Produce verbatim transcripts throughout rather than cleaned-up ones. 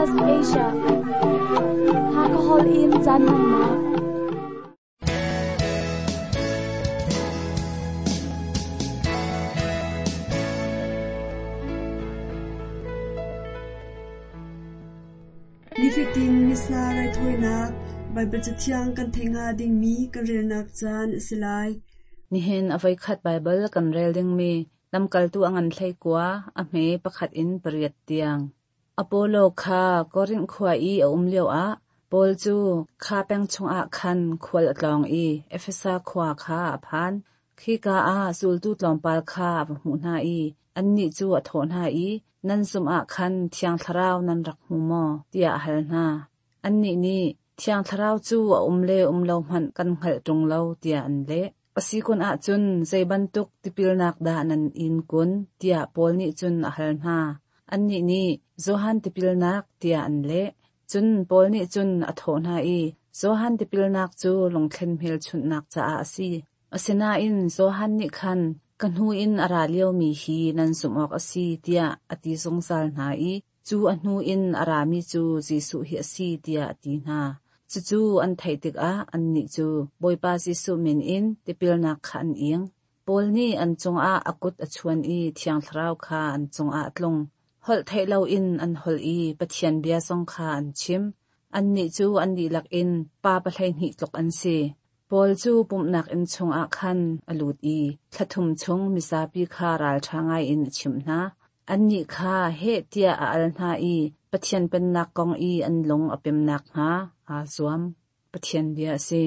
S P S Asia Hakahol in caan hmannak Nifatin Missa raithawinak Baibal Cathiang kan theih hnga dingmi kan relnak caan a si lai. Nihin a voikhat Baibal kan rel dingmi lamkaltu a ngan hlei kua a hme pakhat in pariat tiang. Apollo kha Korinth khua i a um lioah Paul cu kha peng chungah khan khual a tlawng i Efesa khua kha a phan. Khika ah zultu tlawmpal kha a va hmuh hna i annih cu a thawh hna i nan zumh ah khan Thiang Thlarau nan rak hmu maw tiah a hal hna. Annih nih Thiang Thlarau cu a um le um lo hmanh kan hngalh ṭung lo tiah an leh. A si kun ahcun zei bantuk tipilnak dah nan in kun tiah Paul nih cun a hal hna. Annih nih Johan tipilnak tiah an leh. Cun Paul nih cun a thawh hna i Johan tipilnak cu lungthlen hmelchunhnak caah a si. Asinain Johan nih khan ka hnu in a ra liomi hi nan zumh awk a si tiah a ti zungzal hna i cu a hnu in a rami cu Jesuh hi a si tiah a ti hna. Cucu an theih tikah annih cu Bawipa Jesuh min in tipilnak kha an ing. Paul nih an cungah a kut a chuan i Thiang Thlarau kha an cungah a tlung. Holh theih loin an holh i Pathian bia zong kha an chim. Annih cu an dihlak in pa pahleihnih tluk an si. Paul cu pumhnak inn chungah khan a lut i thla thum chung mizapi kha ralṭha ngaiin a chimh hna. Annih kha heh tiah a al hna i Pathian pennak kong i an lung a pemnak hnga aa zuam. Pathian bia a si.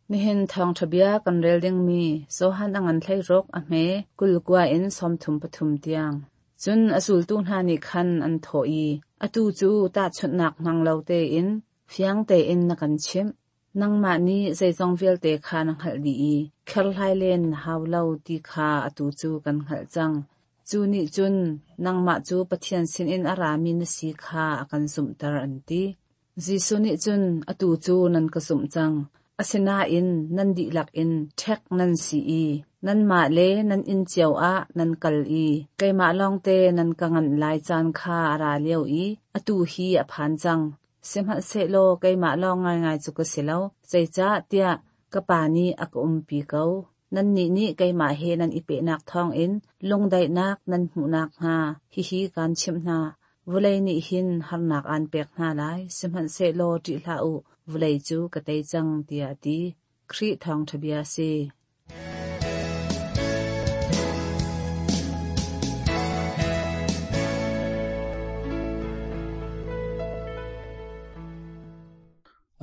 Nihin thawngṭha bia kan rel dingmi Johan a ngan hlei ruk a hme kul kua in sawmthum pathum tiang. Cun a zultu hna nih khan an thawh i atu cu tahchunhnak hmang lo tein fiang tein na kan chimh. Nangmah nih zeizong vialte kha na hngalh dih i kherhlai len na hau lo ti kha atu cu kan hngalh cang. Cu nih cun nangmah cu Pathian sinin a rami na si kha a kan zumhter an ti. Jesuh nih cun atu cu nan ka zumh cang. Asinain nan dihlak in ṭhek nan si i nanmah le nan inn cio ah nan kal i keimah lawngte nan ka nganh lai caan kha a ra lio i atu hi a phan cang. Sihmanhsehlaw keimah lawng ngaingai cu ka si lo, zeicah tiah ka Pa nih a ka umpi ko. Nannih nih keimah he nan i pehnak thawngin lungdaihnak nan hmuhnak hnga hihi kaan chimh hna. Vawlei nih hin harnak aan pek hna lai, sihmanhsehlaw ṭih hlah u, vawlei cu ka tei cang tiah a ti. Khrih thawngṭha bia a si.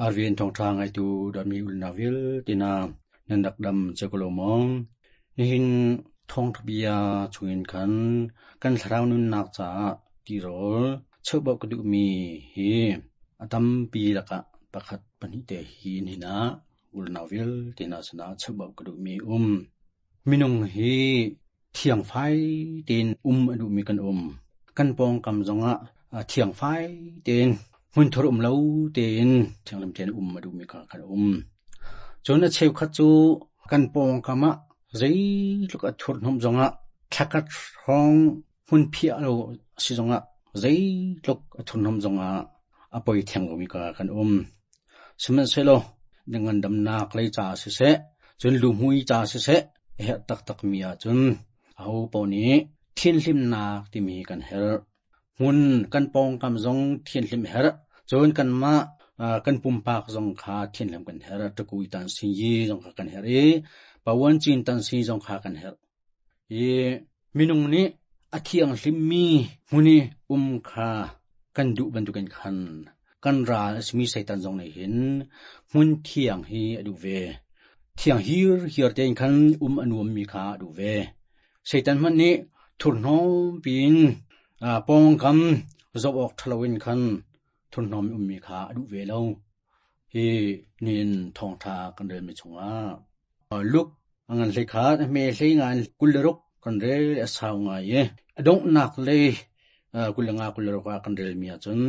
Arvin thawngṭha ngaitu dami ulnak vialte na nan rak dam cio ko lo maw? Nihin thawngṭha bia chungin khan kan thlarau nunnak caah tirawl cheubauh ka duhmi hi a tampi lakah pakhat pahnih te hi nihin ah ulnak vialte na sinah cheubauh ka duhmi um. Minung hi thiangfai tein um a duhmi kan um. Kan pawngkam zongah thiangfai tein hmunthur um lo tein thianghlim tein um a duhmi kha kan um. Cun a cheukhat cu kan pawngkam ah zeitluk a thurhnawm zongah thlakhat hrawng hmun phiah lo a si zongah zeitluk a thurhnawm zongah a poi theng lomi kha kan um. Sihmanhsehlaw ngandamnak lei ca siseh, cun luhmui ca siseh, a herh taktakmi ahcun aho paoh nih thianhlimnak timi kan herh. Hmun kan pawngkam zong thianhlim herh, cun kanmah kan pumpak zong kha thianhlim kan herh, ṭakui tan sinyi zong kha kan herh i pawan cin tan si zong kha kan herh. I minung nih a thianghlimmi hmun i um kha kan duh bantukin khan kan ral a simi Satan zong nih hin hmun thiang hi a duh ve. Thiang hir hir tein khan um a nuammi kha a duh ve. Satan hmanh nih thurhnawm piin pawngkam zoh awk ṭha loin khan thurhnawm ummi kha a duh ve lo. Hi nihin thawngṭha kan relmi chungah Luke a ngan hlei khat a hme hlei nga in kul le ruk kan rel a sau ngai i a donghnak lei kul le nga kul le ruk ah kan relmi ahcun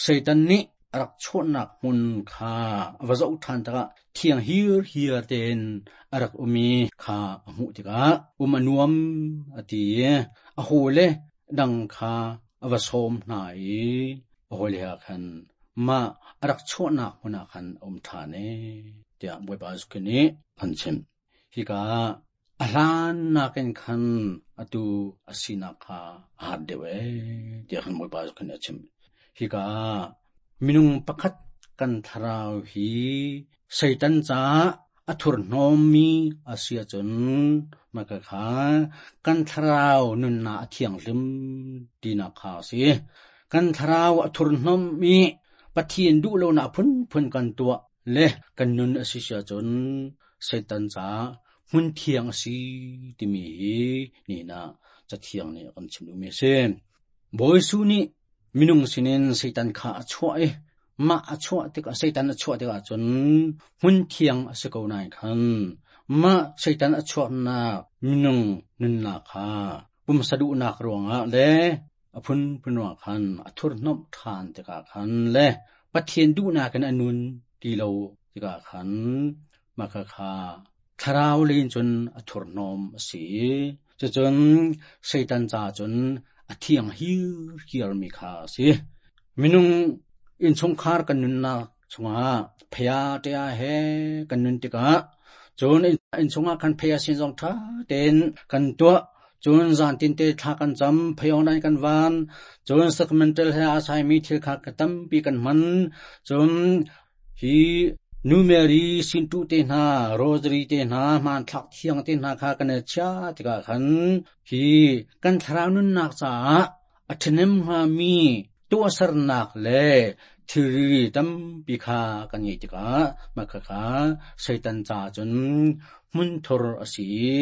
Satan nih a rak chuahnak hmun kha a va zoh ṭhan tikah thiang hir hir tein a rak um i kha a hmuh tikah um a nuam a ti i a hawile dang kha a va sawm hna i a Hoi le khan ma arak chuahnak hmun ah khan um ṭhan e tiah Bawipa Jesuh Khrih nih an chim. Hika a hlan nakin khan atu a sinak kha a hat deuh e tiah khan Bawipa Jesuh Khrih nih a chim. Hika minung pakhat kan thlarau hi Satan caah a thurhnawmmi a si ahcun mah kha kan thlarau nunnak a thianghlim tinak kha a si. Kan thlarau a thurhnawm i Pathian duh lonak phunphun kan tuah le kan nun a si ahcun Satan caah hmun thiang a si timi hi nihin ah Cathiang nih a kan chim duhmi a si. Bawi Jesuh nih minung sinin Satan kha a chuah i mah a chuah tikah Satan a chuah tikah cun hmun thiang a si ko nain khan mah Satan a chuahnak minung nunnak kha pumsa duhnak ruangah le a phunphun ruangah khan a thurhnawmh ṭhan tikah khan le Pathian duhnak in a nun ti lo tikah khan mah kha thlarau lei in cun a thurhnawm a si i cucun Satan caah cun a thiang hirhiarmi kha a si. Minung innchungkhar kan nunnak chungah phaya ṭia he kan nun tikah cun innchungah khan phaya sin zong ṭha tein kan tuah cun zan tinte thla kan cam phayong dai kan van cun sacramental he aa saimi thil kha ka tampi kan hman cun hi Nu Mary sintu te hna rosary te hna hmanthlak thiang te hna kha kan i chia tikah khan hi kan thlarau nunnak caah a ṭhahnem hngami tuahsernak le thilri tampi kha kan ngeih tikah mah khakha Satan caah cun hmunthur a si i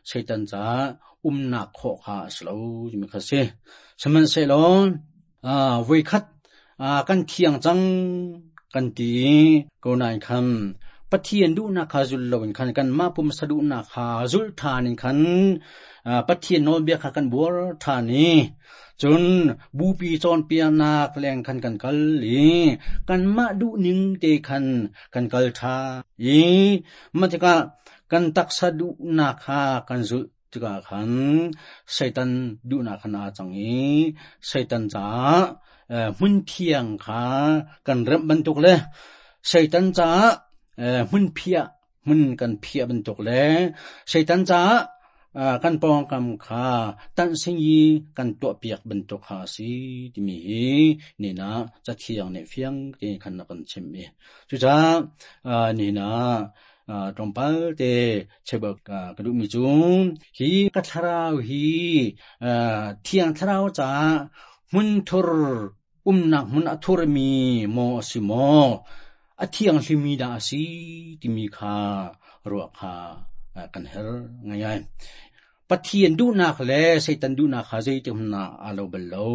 Satan caah umnak khawh kha a si lo timi kha a si. Sihmanhsehlaw voikhat kan thiang cang kan ti ko nain khan Pathian duhnak kha zul loin khan kanmah pumsa duhnak kha zulh ṭhan in khan Pathian nawlbia kha kan buar ṭhan i cun bupi cawnpiaknak leng khan kan kal i kanmah duhning te khan kan kal ṭhan i mah tikah kan taksa duhnak kha kan zulh tikah khan Satan duhnak khan aa cang i Satan caah hmun thiang kha kan remh bantuk le Satan caah hmun phiah hmun kan phiah bantuk le Satan caah kan pawngkam kha tanhsing i kan tuahpiak bantuk kha a si timi hi nihin ah Cathiang nih fiang tein khan a kan chimh i cucaah nihin ah tlawmpal te cheubak ka duhmi cu hi ka thlarau hi Thiang Thlarau caah hmunthur umnak hmun a thurmi maw a si maw a thianghlimi dah a si timi kha ruah kha kan herh ngaingai. Pathian duhnak le Satan duhnak kha zeitik hmanh ah aa lo bal lo.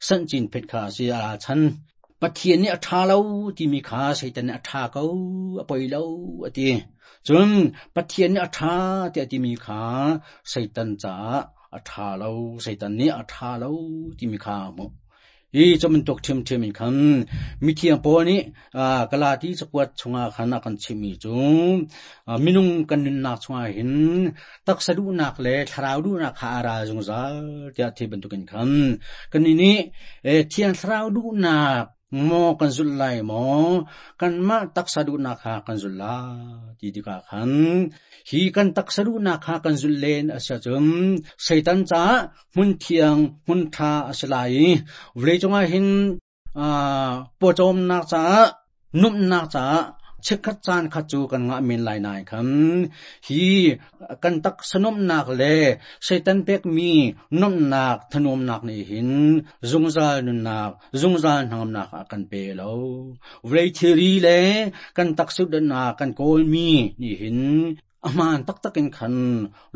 Sanhcin phet kha a si a chan. Pathian nih a ṭha lo timi kha Satan nih a ṭha ko, a poi lo a ti. Cun Pathian nih a ṭha tiah a timi kha Satan caah a ṭha lo, Satan nih a ṭha lo timi kha a hmuh. Hi cu bantuk ṭhiamṭhiam in khan mithiang Paul nih Galati cakuat chungah khan a kan chimhmi cu minung kan nunnak chungah hin taksa duhnak le thlarau duhnak kha a ral zungzal tiah thil bantukin khan kannih nih Thiang Thlarau duhnak maw kan zulh lai maw kanmah taksa duhnak kha kan zulh lai ti tikah khan hi kan taksa duhnak kha kan zulh len a si ahcun Satan caah hmun thiang hmun ṭha a si lai i vawleicung ah hin pawcawmnak caah nuamhnak caah chikkhat caan khat cu kan ngah men lai nain khan hi kan taksa nuamhnak le Satan pekmi nuamhnak thanuamnak nih hin zungzal nunnak zungzal hnangamnak a kan pe lo. Vawlei thilri le kan taksa duhnak kan kawlmi nih hin a hmaan taktak in khan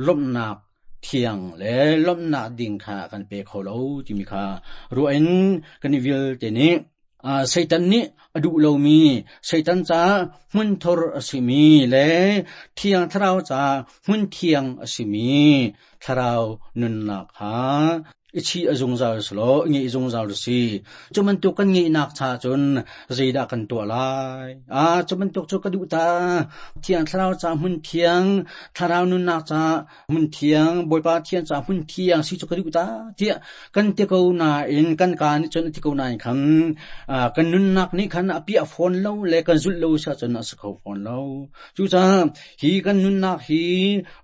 lawmhnak thiang le lawmhnak ding kha kan pe kho lo timi kha ruah in kan i vialte nih Satan nih a duh lomi, Satan caah hmunthur a simi le Thiang Thlarau caah hmun thiang a simi thlarau nunnak kha Ichi azungzal slo ngi zungzal si chuman tu kan ngi nak cha chun zeida kan to lai a chuman tuk chu ka du ta thiang thlarau cha mun thiang thlarau nun nak cha mun thiang boipa thiang cha mun thiang si chu ka du ta tia kan te ko na in kan ka ni chun ti ko na in khan kan nun nak ni khan api a phone lo le kan zul lo sa chun a sakho phone lo chu cha hi kan nun nak hi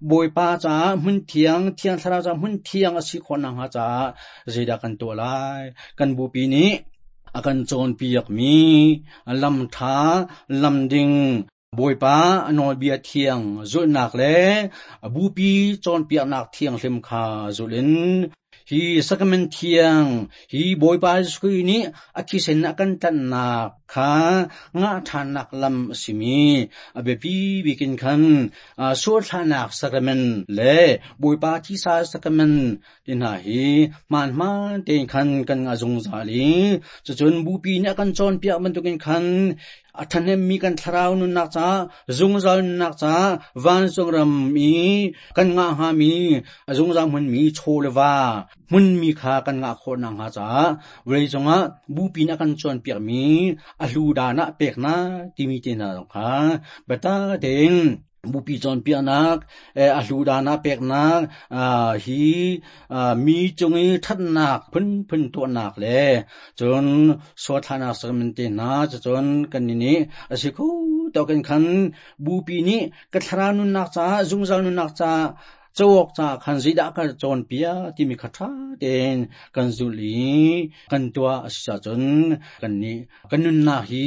boipa cha mun thiang thiang thlarau cha mun thiang a si khon na ha cha zeida kan to lai kan bu pi ni akan chon piak mi lam tha lam ding boipa anol bia thiang zul nak le bu pi chon piak nak thiang hlim kha zulin hi sakamen thiang hi boipa sui ni akhi sen akan tan na kha nga than nak lam simi abe pi bikin khan so thanak sakamen le boipa thi sa sakamen tin ha hi man man te khan kan nga zung zali chun bu pi ni akan chon piak man tukin khan athanem mi kan thlarau nun nak cha zungzal nak cha van song ram mi kan nga ha mi zungzal mun mi cholwa mun mi kha kan nga kho na ha cha wei chonga bu pi na kan chon piak mi a hlu da na pek na ti mi te na kha bata ding bu pi chon piak nak a hlu da na pek nak hi mi chungi that nak phun phun to nak le chon so thana samen te na chon kan ni ni asikhu to kan khan bu pi ni ka thlara nun nak cha zungzal nun nak cha chawok cha khan zida ka chon pia ti mi khatha ten kan zuli kan tua asisa chon kan ni kan nun na hi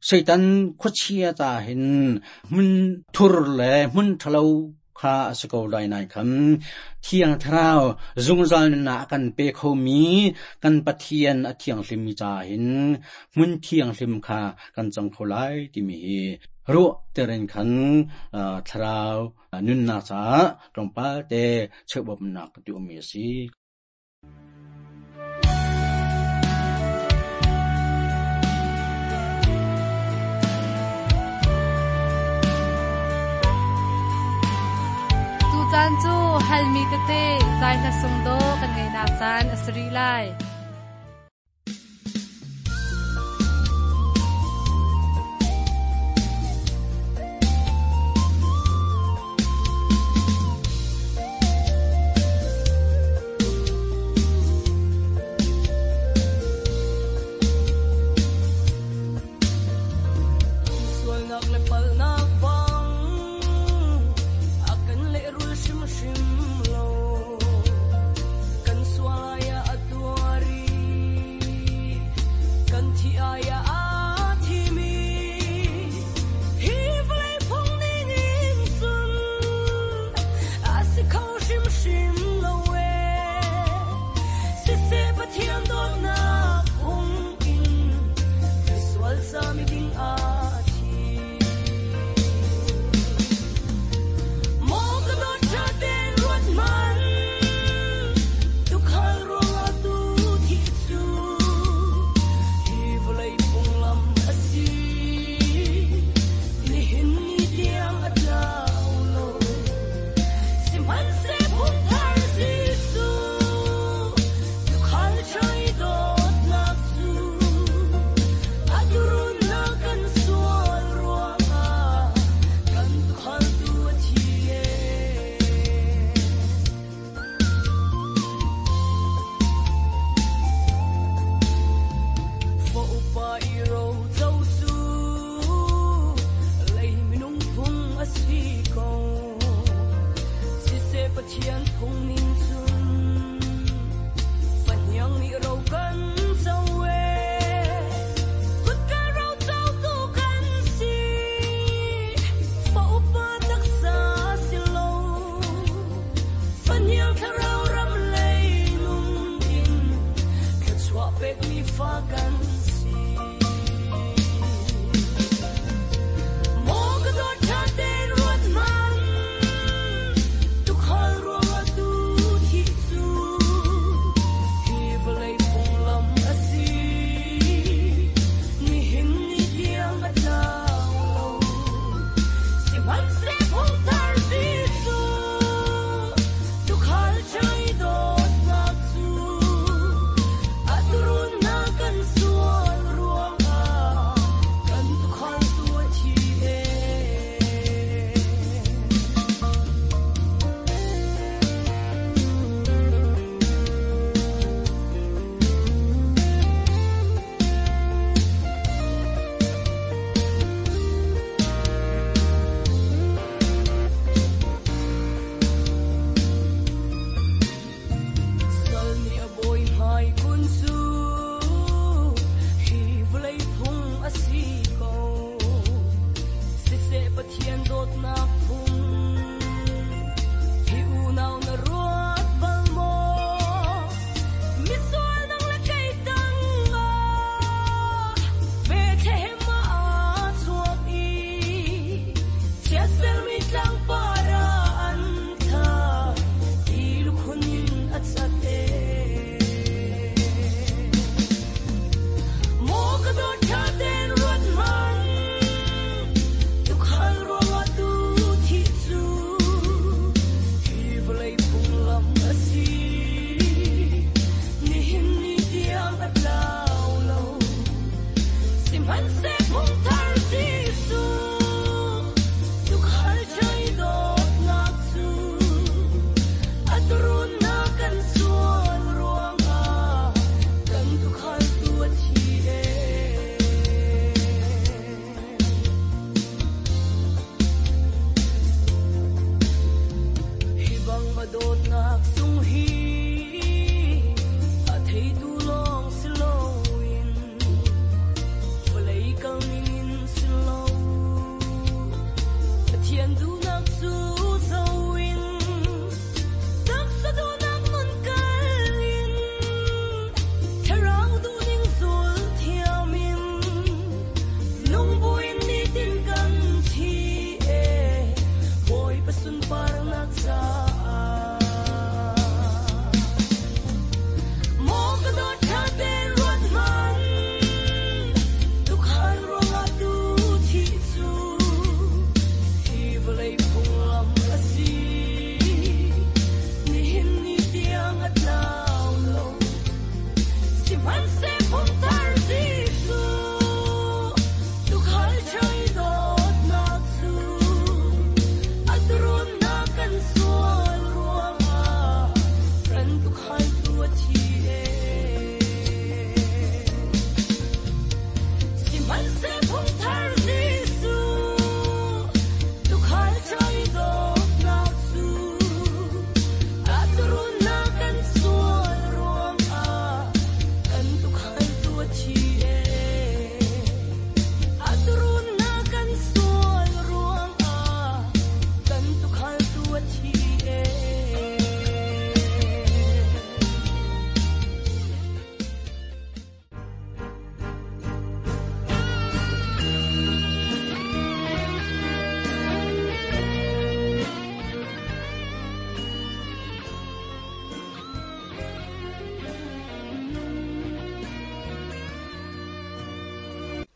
Satan khuachia cha hin mun thur le mun thalo kha asko lai nai kham thiang tharau zungzal na kan pe kho mi kan pathian a thiang hlim mi cha hin mun thiang hlim kha kan chang kholai ti mi hi ro teren khan tharau nun na cha tongpa te chebop nak tu mi si Caan cu halmi tete zai hla sung do kan ngei nak caan a sri lai. Fa kan si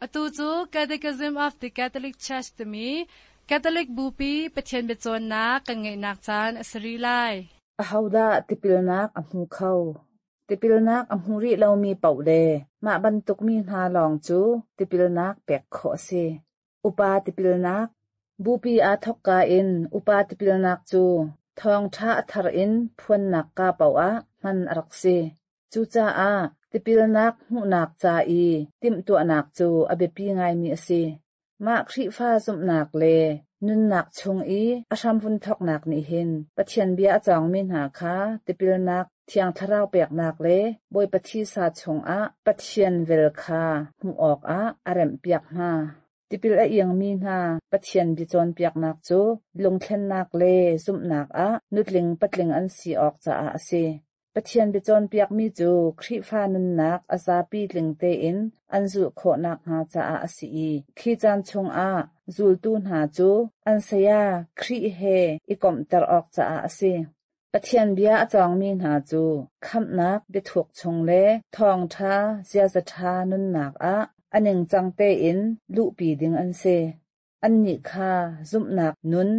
Atu cu Catechism of the Catholic Church timi Catholic Bupi Pathian biacawnnak kan ngeihnak caan a si rih lai. Ahodah tipilnak a hmu kho? Tipilnak a hmu rih lomi paoh le mah bantuk mi hna lawng cu tipilnak pek khawh a si. Upa tipilnak Bupi aa thawkka in upa tipilnak cu thawngṭha a thar in phuannak ka paoh ah hman a rak si. Cucaah tipilnak hmuhnak ca i timhtuahnak cu a biapi ngaimi a si. Mah Khrihfa zumhnak le nunnak chung i a hramvun thawknak nih hin Pathian bia a cawngmi hna kha tipilnak, Thiang Thlarau peknak le Bawipa thisa chungah Pathian vel kha hmuh awkah a remhpiak hna. Tipil a iangmi hna Pathian bia cawnpiaknak cu lungthlennak le zumhnak ah nutling patling an si awk caah a si. Pathian bia cawnpiakmi cu Khrihfa nunnak a zapi tling tein an zulh khawh nakhnga caah a si i khi caan chungah zultu hna cu an saya Khrih he i komhter awk caah a si. Pathian bia a cawngmi hna cu khamhnak biathuk chung le thawngṭha ziaza ṭha nunnak ah a ningcang tein luhpi ding an si. Annih kha zumhnak nun,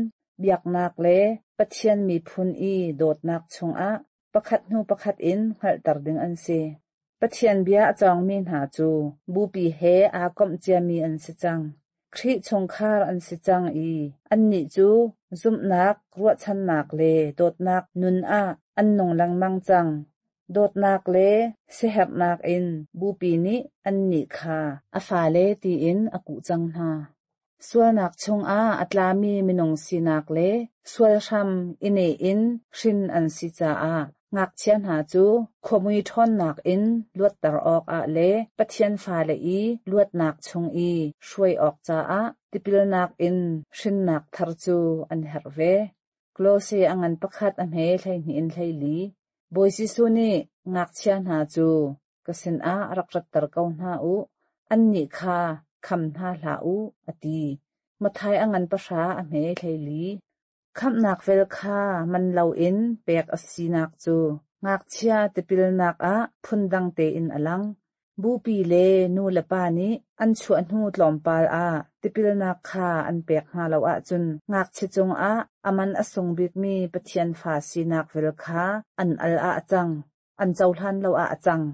biaknak le Pathian miphun i dawtnak chungah pakhat hnu pakhat in hngalhter ding an si. Pathian bia a cawngmi hna cu bupi he aa komh ciami an si cang. Khrih chungkhar an si cang i annih cu zumhnak, ruahchannak le dawtnak nun ah an nung lengmang cang. Dawtnak le siaherhnak in bupi nih annih kha a fale tiin a kuh cang hna. Sualnak chungah a tlami minung sinak le sual hram i neh in hrin an si caah ngakchia hna cu khuamui ṭhawnnak in luatter awkah le Pathian fale i luatnak chung i hruai awk caah tipilnak in hrinnak thar cu an herh ve. Kolose a ngan pakhat a hme hleihnih in hleili. Bawi Jesuh nih ngakchia hna cu ka sinah rak ratter ko hna u, annih kha kham hna hlah u, a ti. Mathai a ngan pahra a hme hleili. Khamhnak vel kha man loin pek a sinak cu ngakchia tipilnak ah phundang tein a lang. Bupi le nu le pa nih an chuah hnu tlawmpal ah tipilnak kha an pek hna lo ahcun ngakchia cungah a man a sung bikmi Pathian fa sinak vel kha an al ah a cang, an cohlan lo ah a cang.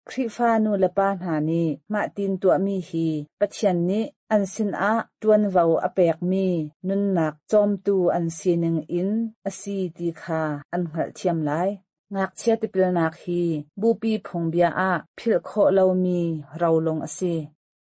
Khrihfa nu le pa hna nih mah tin tuahmi hi Pathian nih an sinah ṭuanvo a pekmi nunnak cawmtu an sining in a si ti kha an hngalhthiam lai. Ngakchia tipilnak hi bupi phungbia ah philh khawh lomi rolung a si.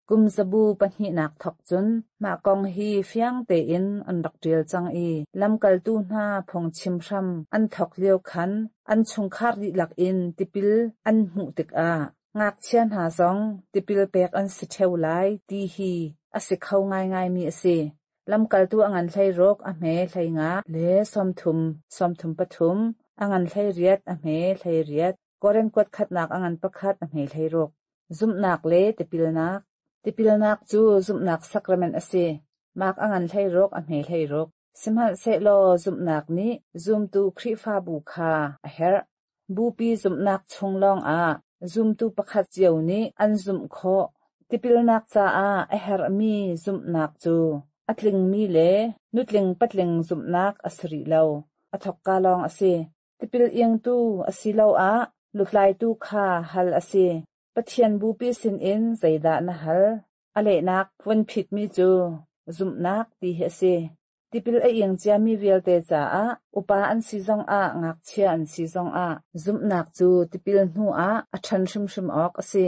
Kum zabu pahnihnak thawk cun mah kong hi fiang tein an rak ṭial cang i lamkaltu hna phungchim hram an thawk lio khan an chungkhar dihlak in tipil an hmuh tikah ngakchia hna zong tipil pek an si ṭheo lai ti hi a si kho ngaingaimi a si. Lamkaltu a ngan hleiruk a hme hleinga le sawmthum sawmthum pathum a ngan hleiriat a hme hleiriat Korin kuat khatnak a ngan pakhat a hme hleiruk. Zumhnak le tipilnak Tipilnak cu zumhnak sakrament a si. Mark a ngan hleiruk a hme hleiruk. Sihmanhsehlaw zumhnak nih zumtu Khrihfabu kha a herh. Bupi zumhnak chung lawngah zumtu pakhat cio nih an zumh khawh. Tipilnak caah a herhmi zumhnak cu a tlingmi le nutling patling zumhnak a si rih lo. A thawkka lawng a si. Tipil iangtu asiloah lutlaitu kha hal a si. Pathian bupi sinin zeidah na hal? A lehnak vun phitmi cu zumhnak ti hi a si. Tipil a iang ciami vialte caah upa an si zongah ngakchia an si zongah zumhnak cu tipil hnu ah a ṭhan hrimhrim awk a si.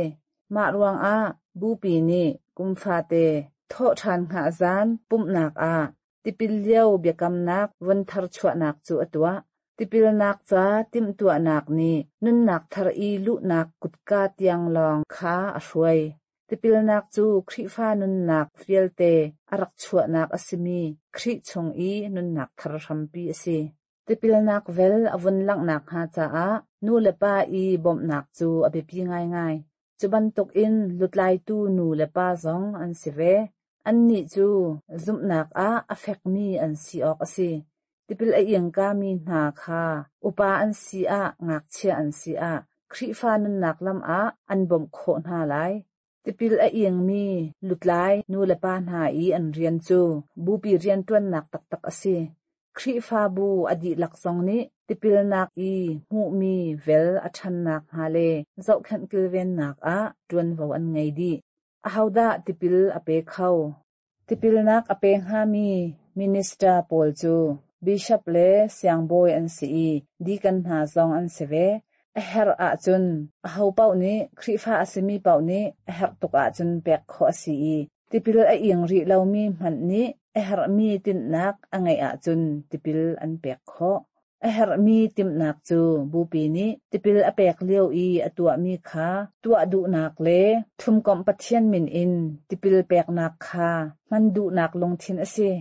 Mah ruangah Bupi nih kum fate thawhṭhan hngah zan pumhnak ah tipil lio biakamnak von tharchuahnak cu a tuah. Tipilnak ca timhtuahnak nih nunnak thar i luhnak kutka tiang lawng kha a hruai. Tipilnak cu Khrihfa nunnak vialte a rak chuahnak a simi Khrih chung i nunnak thar hrampi a si. Tipilnak vel a vun langhnak hnga caah nu le pa i bawmhnak cu a biapi ngaingai. Cu bantukin lutlaitu nu le pa zong an si ve. Annih cu zumhnak ah a fekmi an si awk a si. Tipil a ingkami hna kha upa an si ah ngakchia an si ah Khrihfa nunnak lam ah an bawmh khawh hna lai. Tipil a ingmi lutlai nu le pa hna i an rian cu bupi rianṭuannak taktak a si. Khrihfabu a dihlak zong nih tipilnak i hmuhmi vel a ṭhannak hnga le zohkhenh kilvennak ah ṭuanvo an ngei dih. Ahodah tipil a pe kho? Tipilnak a pe hngami minister pawl cu bishop le siangbawi an si i deacon hna zong an si ve. A herh ahcun aho paoh nih Khrihfa a simi paoh nih a herh tuk ahcun pek khawh a si i tipil a ing rih lomi hmanh nih a herhmi tinhnak a ngeih ahcun tipil an pek khawh. A herhmi timhnak cu bupi nih tipil a pek lio i a tuahmi kha tuah duhnak le thumkomh Pathian min in tipil peknak kha hman duhnak lungthin a si.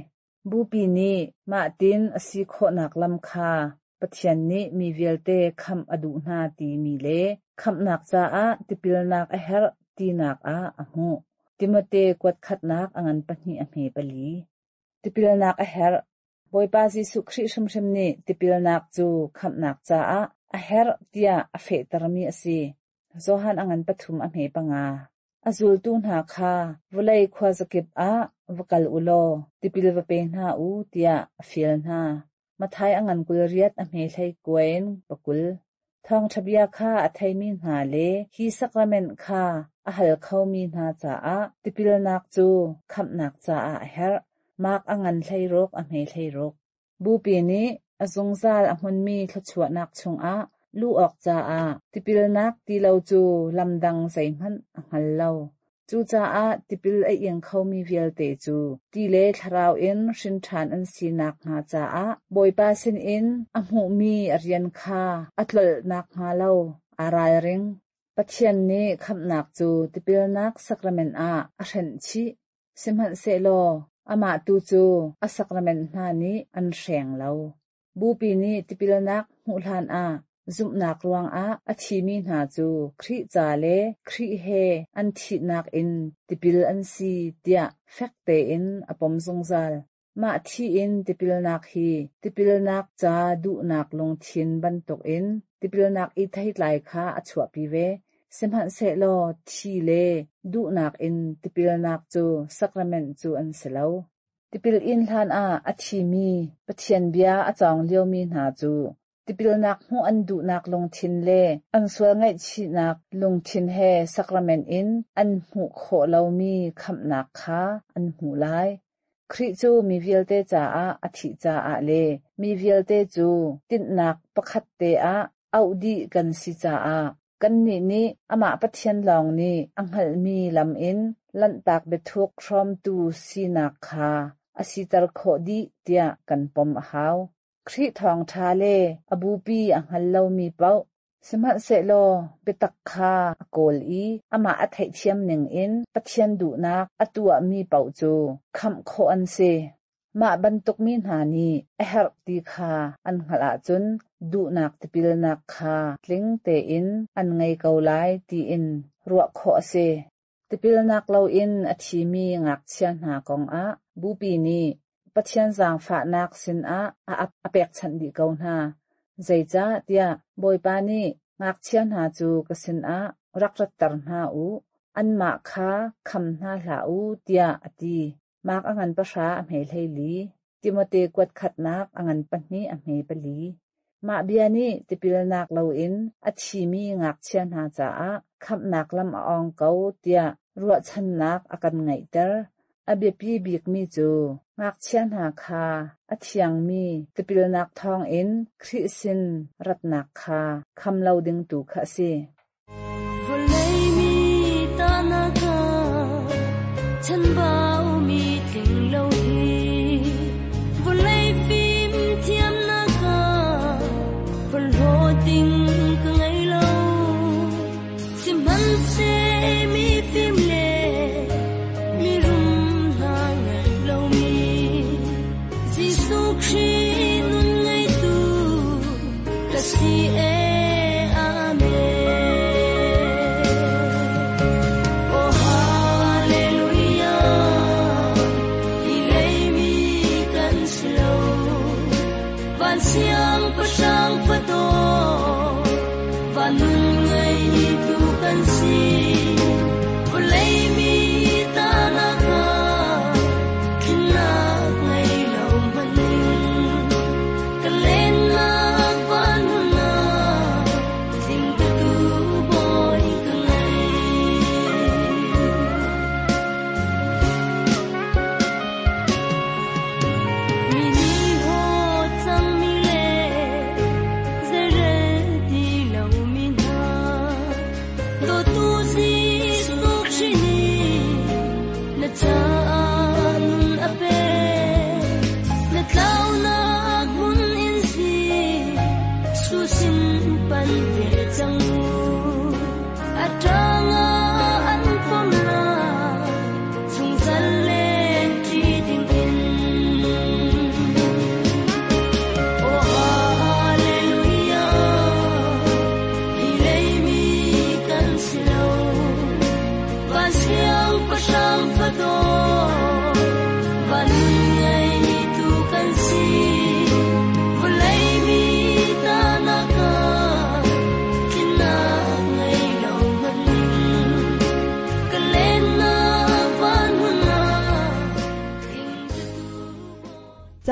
Bupi nih mah tin a si khawhnak lam kha Pathian nih mi vialte khamh a duh hna timi le khamhnak caah tipilnak a herh tinak ah a hmuh. Timote kuat khatnak a ngan pahnih a hme pali. Tipilnak a herh. Bawipa Jesuh Khrih hrimhrim nih tipilnak cu khamhnak caah a herh tiah a fehtermi a si. Johan a ngan pathum a hme panga. A zultu hna kha vawlei khuazakip ah va kal u law tipil va pe hna u tiah a fial hna. Mathai a ngan kul riat a hme hlei kuain pakul. Thawngṭha bia kha a theimi hna le hi sakrament kha a hal khomi hna caah tipilnak cu khamhnak caah a herh. Mark a ngan hleiruk a hme hleiruk. Bupi nih a zungzal a hmunmi thluachuahnak chungah luh awk caah tipilnak ti lo cu lamdang zeihmanh a hngal lo. Cucaah tipil a ing khomi vialte cu ti le thlarau in hrin ṭhan an sinak hnga caah Bawipa sinin a hmuhmi a rian kha a tlolhnak hnga lo aa ralring. Pathian nih khamhnak cu tipilnak sakrament ah a hrenh chih. Sihmanhsehlaw amah tu cu a sakrament hna nih an hreng lo. Bupi nih tipilnak hmuh hlan ah zumhnak ruangah a thimi hna cu Khrih ca le Khrih he an thihnak in tipil an si tiah fek tein a pom zungzal. Mah thi in tipilnak hi tipilnak ca duhnak lungthin bantukin tipilnak i theitlai kha a chuahpi ve. Sihmanhsehlaw thi le duhnak in tipilnak cu sakrament cu an si lo. Tipil in hlan ah a thimi Pathian bia a cawng liomi hna cu tipilnak hmuh an duhnak lungthin le an sual ngaihchihnak lungthin he sakrament in an hmuh khawh lomi khamhnak kha an hmuh lai. Khrih cu mi vialte caah a thih caah le mi vialte cu tinhnak pakhat te ah auh dih kan si caah kannih nih amah Pathian lawng nih a hngalhmi lam in lanhtak biathuk hrawmtu sinak kha a siter khawh dih tiah kan pom a hau. Khrih thawngṭha le a bupi a hngal lomi paoh sihmanhsehlaw biatak kha a kawl i amah a theihthiam ningin Pathian duhnak a tuahmi paoh cu khamh khawh an si. Mah bantuk mi hna nih a herh ti kha an hngalh ahcun duhnak tipilnak kha tling tein an ngei ko lai tiin ruah khawh a si. Tipilnak loin a thimi ngakchia hna kongah bupi nih Pathian zaangfahnak sinah a a pekchanh dih ko hna. Zeicah tiah Bawipa nih ngakchia hna cu ka sinah rak ratter hna u, anmah kha kham hna hlah u tiah a ti. Mark a ngan pahra a hme hleili, Timote kuat khatnak a ngan pahnih a hme pali. Mah bia nih tipilnak loin a thimi ngakchia hna caah khamhnak lam a ong ko tiah ruahchannak a kan ngeihter. A biapi bikmi cu ngakchia hna kha a thiangmi tipilnak thawngin Khrih sin ratnak kha kham lo ding tu kha a si. Vawlei mi ta na ka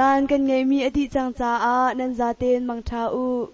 Caan kan ngeihmi a dih cang caah nan zaten mangṭha u.